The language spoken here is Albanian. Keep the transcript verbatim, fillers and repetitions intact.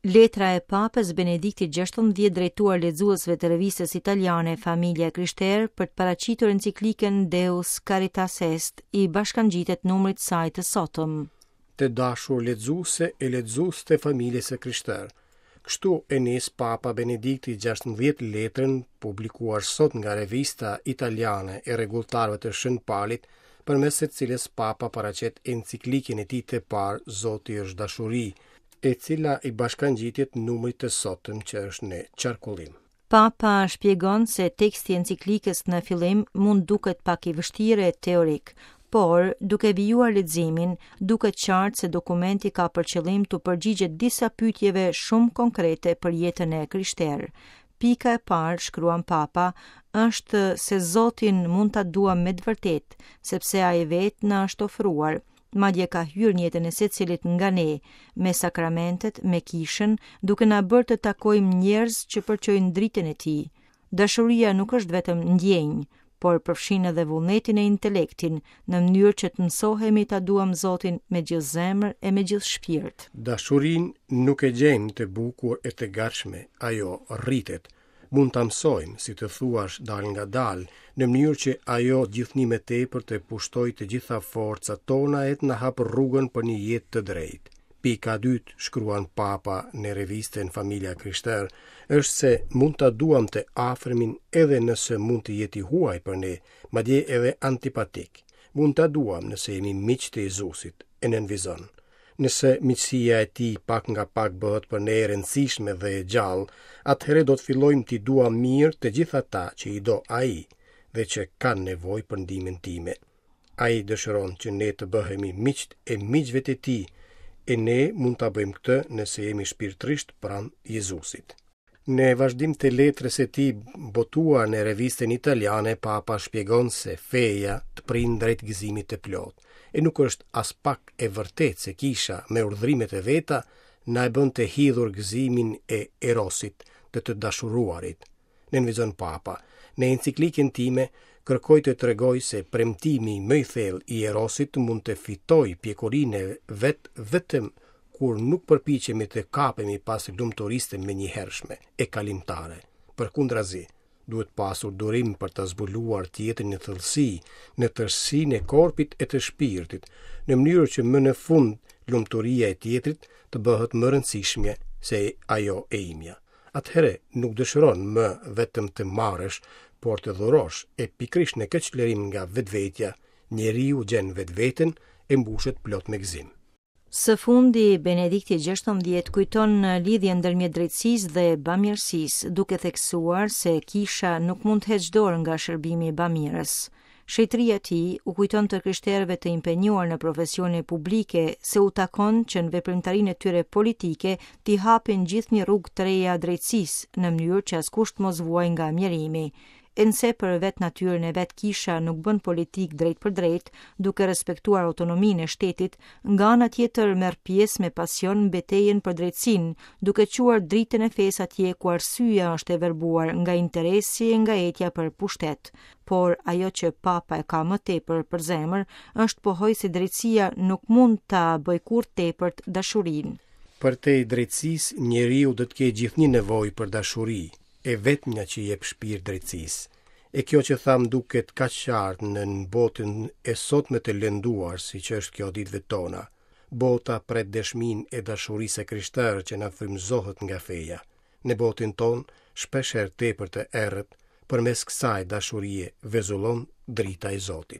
Letra e Papës Benediktit gjashtëmbëdhjetë drejtuar lexuesve të revistës italiane Familja e Krishterë për të paraqitur enciklikën Deus Caritas Est i bashkangjitet numrit saj të sotëm. Të dashur lexuese e lexues të Familjes së Krishterë. Kështu e nis Papa Benedikti gjashtëmbëdhjetë letrën publikuar sot nga revista italiane e rregulltarëve të Shën Palit, përmes së cilës Papa paraqet enciklikën e tij të parë Zoti është dashuri, e cila i bashkangjitet numrit të sotëm që është në qarkullim. Papa shpjegon se teksti i enciklikës në fillim mund duket pak i vështirë e teorik, por duke vijuar leximin, duket qartë se dokumenti ka për qëllim të përgjigjet disa pyetjeve shumë konkrete për jetën e krishterë. Pika e parë, shkruan Papa, është se Zotin mund ta duam me të vërtetë, sepse ai vetë na është ofruar, madje ka hyrë në jetën e secilit nga ne, me sakramentet, me kishën, duke na bërë të takojmë njerëz që përçojnë dritën e tij. Dashuria nuk është vetëm ndjenjë, por përfshin edhe vullnetin e intelektin, në mënyrë që të mësohemi ta duam Zotin me gjithë zemër e me gjithë shpirt. Dashurinë nuk e gjejmë të bukur e të gatshme, ajo rritet. Mund ta mësojmë, si të thuash, dal nga dal, në mënyrë që ajo gjithnjë më tepër të pushtojë të gjitha forcat tona e të na hapë rrugën për një jetë të drejtë. Pika e dytë, shkruan Papa në revistën Familja Krishterë, është se mund ta duam të afërmin edhe nëse mund të jetë i huaj për ne, madje edhe antipatik. Mund ta duam nëse jemi miq të Jezusit, e nënvizon. Nëse miqësia e tij pak nga pak bëhet për ne e rëndësishme dhe e gjallë, atëherë do të fillojmë t'i duam mirë të gjithë ata që i do ai dhe që kanë nevojë për ndihmën time. Ai dëshiron që ne të bëhemi miqtë e miqve të tij, e ne mund ta bëjmë këtë nëse jemi shpirtërisht pranë Jezusit. Në vazhdim të letrës së tij botuar në revistën italiane, Papa shpjegon se feja të prin drejt gëzimit të plotë, e nuk është as pak e vërtetë se kisha me urdhrimet e veta na e bën të hidhur gëzimin e erosit, të të dashuruarit. Nënvizon Papa, në enciklikën time kërkoj të tregoj se premtimi më i thellë i erosit mund të fitojë pjekurinë e vet vetëm kur nuk përpiqemi të kapemi pas lumturisë të menjëhershme e kalimtare. Përkundrazi, duhet pasur durim për të zbuluar tjetrin në thellësi, në tërësinë e korpit e të shpirtit, në mënyrë që më në fund lumturia e tjetrit të bëhet më rëndësishme se ajo e imja. Atëherë nuk dëshiron më vetëm të marrësh, por të dhurosh, e pikërisht në këtë çlirim nga vetvetja, njeriu gjen vetveten e mbushet plot me gëzim. Së fundi, Benedikti gjashtëmbëdhjetë kujton lidhjen ndërmjet drejtësisë dhe bamirësisë, duke theksuar se kisha nuk mund të heqë dorë nga shërbimi bamirës. Shenjtëria e tij u kujton të krishterëve të impenjuar në profesione publike se u takon që në veprimtarinë e tyre politike t'i hapin gjithnjë rrugë të reja drejtësisë, në mënyrë që askush të mos vuajë nga mjerimi. E nëse për vetë natyrën e vet kisha nuk bën politikë drejt për drejt, duke respektuar autonominë e shtetit, nga ana tjetër merr pjesë me pasion në betejën për drejtësinë, duke çuar dritën e fesë atje ku arsyeja është e verbuar nga interesi e nga etja për pushtet. Por ajo që Papa e ka më tepër për zemër është pohoj se drejtësia nuk mund ta bëjë kurrë tepërt dashurinë. Përtej drejtësisë, njeriu do të ketë gjithnjë nevojë për dashuri, e vetmja që jep shpirt drejtësisë. E kjo që tham duket kaq qartë në botën e sotme të lënduar, siç është kjo ditëve tona. Bota pret dëshminë e dashurisë së krishterë që na frymëzohet nga feja. Në botën tonë, shpeshherë tepër të errët, përmes kësaj dashurie vezullon drita e Zotit.